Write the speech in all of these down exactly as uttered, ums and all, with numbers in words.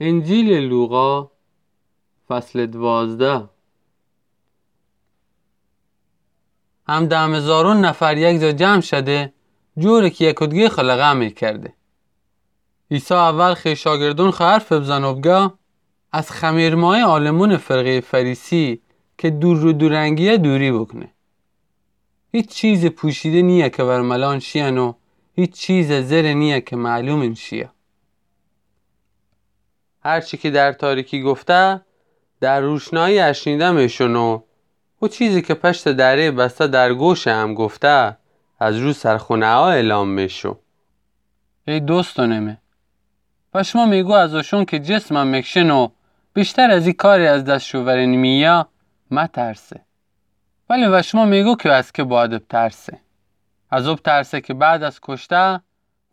انجیلٚ لوقا، فصلٚ دوازده. هم دم هزارون نفر یک جا جمع شده، جوری کی یکودگی خو لقه میکرده. عیسی اول خوی شاگردون خو حرف بزنه و بگه: از خمیرمایه عالمونٚ فرقه‌یٚ فریسی کی دور و دورنگیه دوری بوکونه. هیچ چیزٚ پوشیده نییه کی ور ملان شیین و هیچ چیزٚ زره نییه کی معلومین شیه. هر چی کی در تاریکی گفته، در روشنایی اشنیده میشون و او چیزی کی پشتٚ دره‌یٚ بسته در گوشٚ هم گفته، از رو سرخونه‌ها اعلام میشو. ای دوستونٚ می، وشمو میگو از اوشون کی جسمم مکشن و بیشتر از ای کاری از دس شو ورن مییه، مترسه. ولی وشمو میگو کی از کی باید بترسه؟ از او بترسه کی بعد از کشته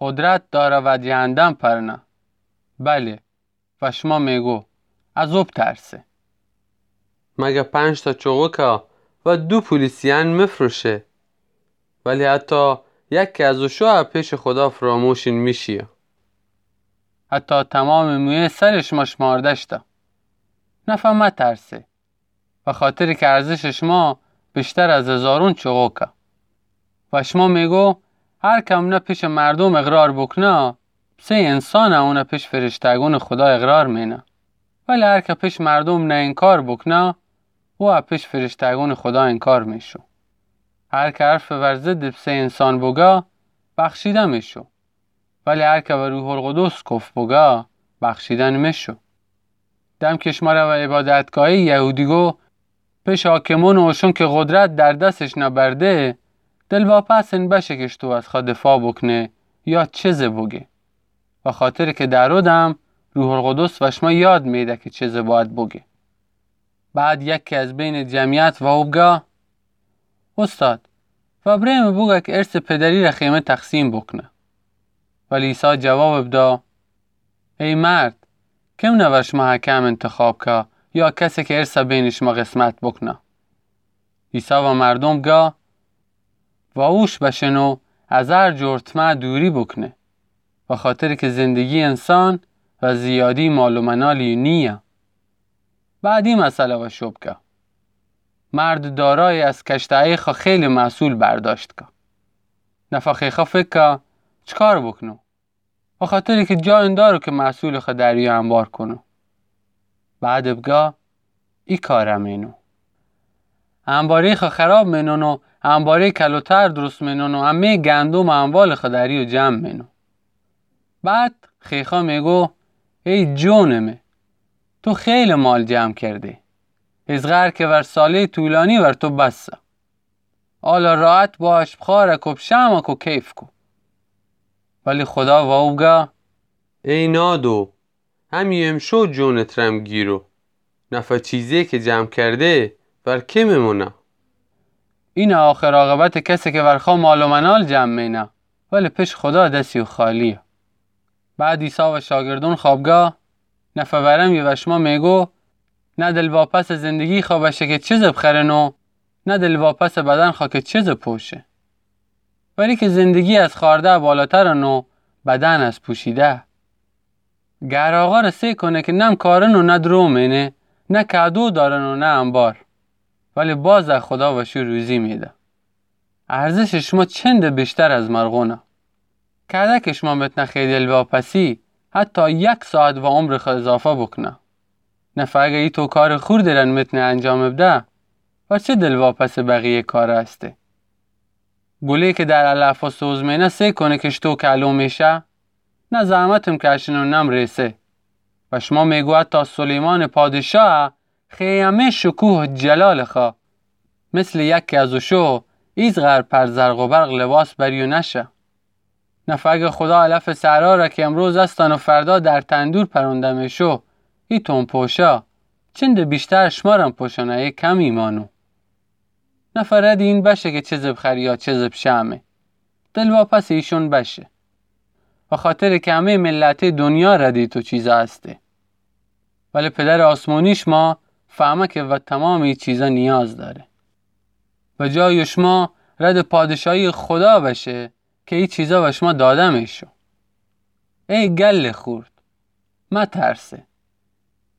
قدرت داره و جهندم پرنه. بلی، وشمو میگو، از او بترسه. مگه پنج تا چوغوکه و دو پولی سیین مفروشه؟ ولی حتی یکی از اوشو پیشٚ خودا فراموشین میشیه. حتی تمامٚ مویه سرٚ شمه شمارده شته. نفه مترسه، بخاطر کی ارزشٚ شمه بیشتر از هزارون چوغوکه. وشمو میگو، هر کی امونه پیشٚ مردوم اقرار بوکونه، پسه‌یٚ انسانم اونه پیشٚ فرشته‌گونٚ خودا اقرار مینه. ولی هر کی پیشٚ مردوم نه انکار بوکونه، او پیشٚ فرشته‌گونٚ خودا انکار میشو. هر کی حرفٚ ور ضدٚ پسه‌یٚ انسان بوگه، بخشیده میشو. ولی هر کی ور روح‌القدس کفر بوگه، بخشیده نمیشو. دم کی شمره ور عبادتگاهٚ یهودی گو، پیشٚ حاکمون و اوشون کی قدرت در دسش نبرده، دلواپس این بشه کی شتو از خو دفاع بوکونه یا چیزی بوگه. بخاطر کی در او دم روح‌القدس وشمه یاد میده کی چیزی باید بوگه. بعد یکی از بینٚ جمعیت وأو بگه: اوستاد، وأبره‌مه بوگه کی ارثٚ پدری ره خویمه تقسیم بوکونه. ولی عیسی جواب بده: ای مرد، کمنه ور شمه حاکم انتخاب که یا کسی کی ارثه بینٚ شمه قسمت بوکونه؟ عیسی وأ مردوم گه: وأوش بشن و از هر جور طمع دوری بوکونه، بخاطر کی زندگیٚ انسان و زیادی مال و منالی نییه. بعد ای مثله وأ شو بگه: مرد دارای از کشته‌یٚ خو خیلی محصول برداشت که. نفه خویخوأ فکر که چکار بوکونو؟ بخاطر کی جا اندارو کی محصولٚ خو دریو انبار کونو. بعد بگه: ای کاره مینو. انباره‌یٚ خو خراب مینون و انباره‌یٚ کلوتر درست مینون و همه‌یٚ گندم و اموالٚ خو دریو جمع مینو. بعد خویخوأ میگو: ای جونٚ می، تو خیلی مال جمع کرده. ایزقهر کی ور ساله‌یٚ طولانی ور تو بسه. حالا راحت باش، بخوأرک و بشمک و کیف کو. ولی خودا وأو بگه: ای نادو، همی امشو جونٚ ترم گیرو. نفه چیزی کی جمع کرده، ور کی میمونه؟ اینه آخر عاقبتٚ کسی کی ور خو مال و منال جمع مینه، ولی پیشٚ خودا دسی او خالیه. بعد عیسی وأ شاگردون خو بگه: نفه ورم یه وشمه میگو، نه دلواپسٚ زندگیٚ خو بشه کی چیزی بخرن و نه دلواپسٚ بدن خو کی چیزی پوشه. ولی کی زندگی از خوأرده بالاترن و بدن از پوشیده. گهر آقا ره سئ کونه کی نه کارن و نه درو مینه، نه کادو دارن و نه انبار، ولی باز خودا وشو روزی میده. ارزشٚ شما چندٚ بیشتر از مرغونه. کدأ کی شما متنه خوی دلواپسی حتی یک ساعت وأ عمرٚ خو اضافه بوکونه. نفه اگر ایتو کارٚ خوردٚ ره متنه انجام بده، ور چه دلواپسٚ بقیه کاره استه؟ گولی کی در علف و سوز مینه سئ کونه کی شتو کلو میشه؟ نه زحمتم کشن و نم ریسه. وشمو میگو حتی سلیمانٚ پادشاه خوی همه شکوه و جلالٚ خو مثلٚ یکی از اوشو ایزقهر پر زرق و برق لباس بریو نشه. نفه اگر خودا علفٚ صحرا ره کی امروز استن و فردا در تندور پرونده میشو، ایتون پوشه، چندٚ بیشتر شمرم پوشونه، ای کم ایمانو. نفه ردٚ این بشه کی چیزی بخری یا چیزی بشمه. دلواپسٚ ایشون بشه. بخاطر کی همه ملتٚ دنیا ردٚ ایتو چیزا استه. ولی پدرٚ آسمونی شما فهمه کی وأ تمامٚ ای چیزا نیاز داره. وأ جای شما ردٚ پادشاهیٚ خودا بشه کی ای چیزا وشما داده میشو. ای گلٚ خورد، مترسه.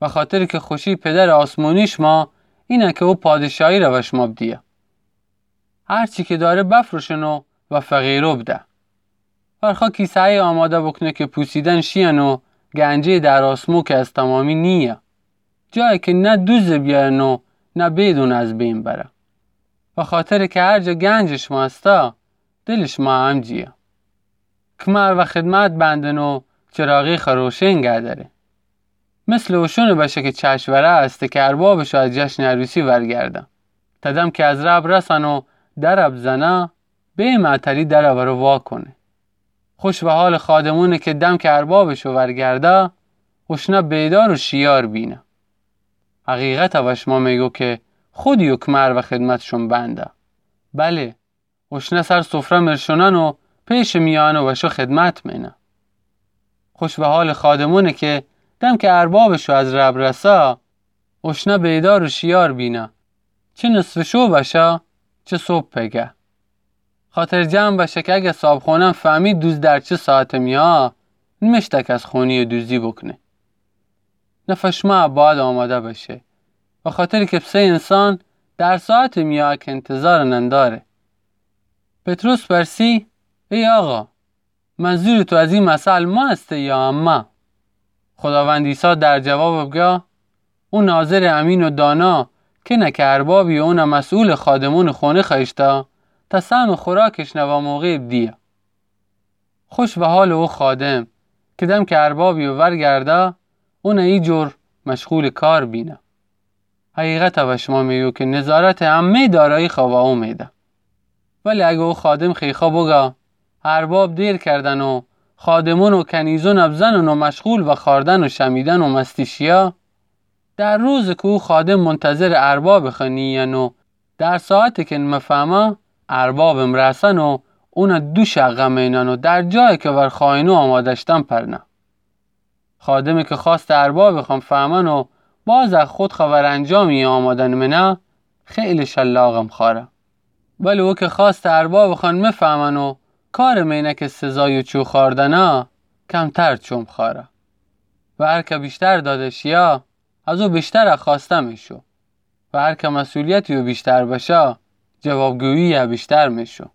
بخاطر کی خوشی پدر آسمونی شما اینه کی او پادشاهی ره وشما بدیه. هر چی کی داره بفروشن و فقیرو بده. ورخا کیسه‌ای آماده بوکونه کی پوسیدن شیین و گنجی در آسمو کی از تمامی نییه. جایی کی نه دوزه بیارن و نه بیدون از بین بره. بخاطر کی هر جا گنج شما استه، دل شما هم جییه. کمر و خدمت بندن و چراغی خو روشن گه داره. مثل اوشونه بشه کی چشم وره استه کی اربابشو از جشن عروسی ورگرده. تا دم کی از ره برسن و دره بزنه، بی معطلی دره وره واکونه. خوش به حال خادمونه کی دم کی اربابشو ورگرده، اوشنه بیدار و شیار بینه. حقیقته وشما میگو کی خودی و کمر و خدمتشون بنده. بله، اوشنه سر سفره مرشونن و پیش میانه وشو خدمت مینه. خوش به حال خادمونه کی دم کی اربابشو از ره برسه، اوشنه بیدار و شیار بینه. چه نصف شو بشه، چه صبح پگه. خاطر جمع بشه کی اگه صابخونه‌ن فهمی دوز در چه ساعت میان، نمشته کس خونی دوزی بوکونه. نفع شما باید آماده بشه. بخاطر کی پسه انسان در ساعت میان کی انتظار ننداره. پطرس پرسی: ای آقا، منظور تو از ای مثل ما استه یا امه؟ خداوند عیسی در جواب بگه: او ناظر امین و دانا کنه کی اربابی اونه مسئول خادمون خونه خوأیشته تا سهم خوراکش نوا موقع بدیه. خوش به حال او خادم کی دم کی اربابی ورگرده، اونه ای جور مشغول کار بینه. حقیقته وشما میگو کی نظارت همه دارایی خو وا او میده. ولی اگه او خادم خیخا بگه: ارباب دیر کردن و خادمون و کنیزون بزنن و مشغول به خوأردن و شمیدن و مستی شیه، در روزی کی او خادم منتظر ارباب خو نیین و در ساعتی کی مفهمه ارباب مرسن و اونه دو شقه مینن و در جایی کی ور خواینو آماده شتن پرنه. خادمی کی خواست ارباب خو فهمن و باز خود خو ور انجامی آمادن مینه، خیلی شلاق مخوأره. ولی او کی خواست ارباب خو مفهمن و کار مینه کی سزای چو خوأردنه، کمتر چو مخوأره. و هر کی بیشتر داده شیه، از او بیشتر خوأسته میشو. و هر کی مسئولیتی او بیشتر بشه، جوابگویی بیشتر میشو.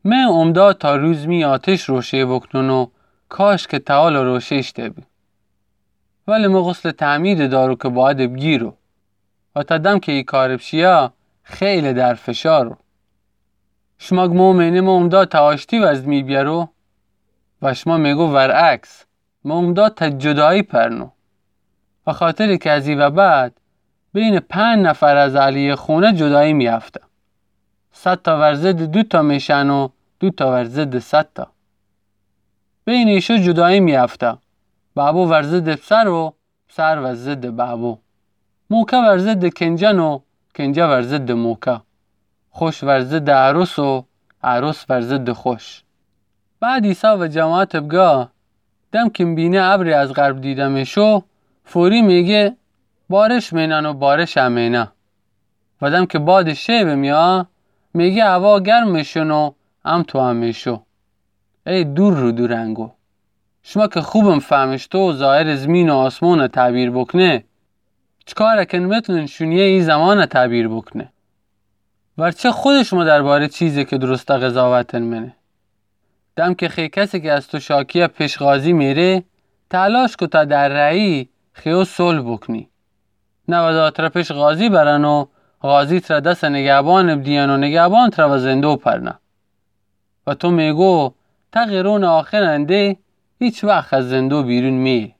مه اومدا تا روز می آتش روشه بکنون و کاش کی تا حالا روشه ایشته بی. ولی مه غسل تعمید دارو کی باید بگیرو و تا دم کی ای کار بشیه خیلی در فشارو. شما گمو مینه مه اومدا تا آشتی وزد می بیارو و شما میگو ورعکس، مه اومدا تا جدایی پرنو. و خاطر کی از ای و بعد بین پنج نفر از اهل خونه جدایی میافته. صد تا ور ضد دو تا میشن و دو تا ور ضد صد تا. بین ایشو جدایی میافته. بابو ور ضد پسر و پسر ور ضد بابو. موکه ور ضد کنجن و کنجه ور ضد موکه. خوش ور ضد عروس و عروس ور ضد خوش. بعد عیسی و جماعت بگه، دم کی بینه ابری از غرب دیده میشو، فوری میگه بارش مینن و بارش امینه. و دم کی باد شیب میه، میگه هوا گرم میشون و هم تو هم میشو. ای دور رو دورنگو. شما کی خوبم فهمشتو و ظاهر زمین و آسمون تعبیر بکنه، چکار کن متونن شونیه ای زمان تعبیر بکنه؟ ورچه خود شما درباره چیزی کی درسته قضاوت منه. دم کی خی کسی کی از تو شاکیه پیش قاضی میره، تلاش کو تا در رأیی خیو صلح بکنی. نه و دا تره پیش قاضی برن و قاضی تره دس نگهبان بدین و نگهبان تره و زندو پرنه. و تو میگو تا قرون آخر انده هیچ وقت از زندو بیرون میه.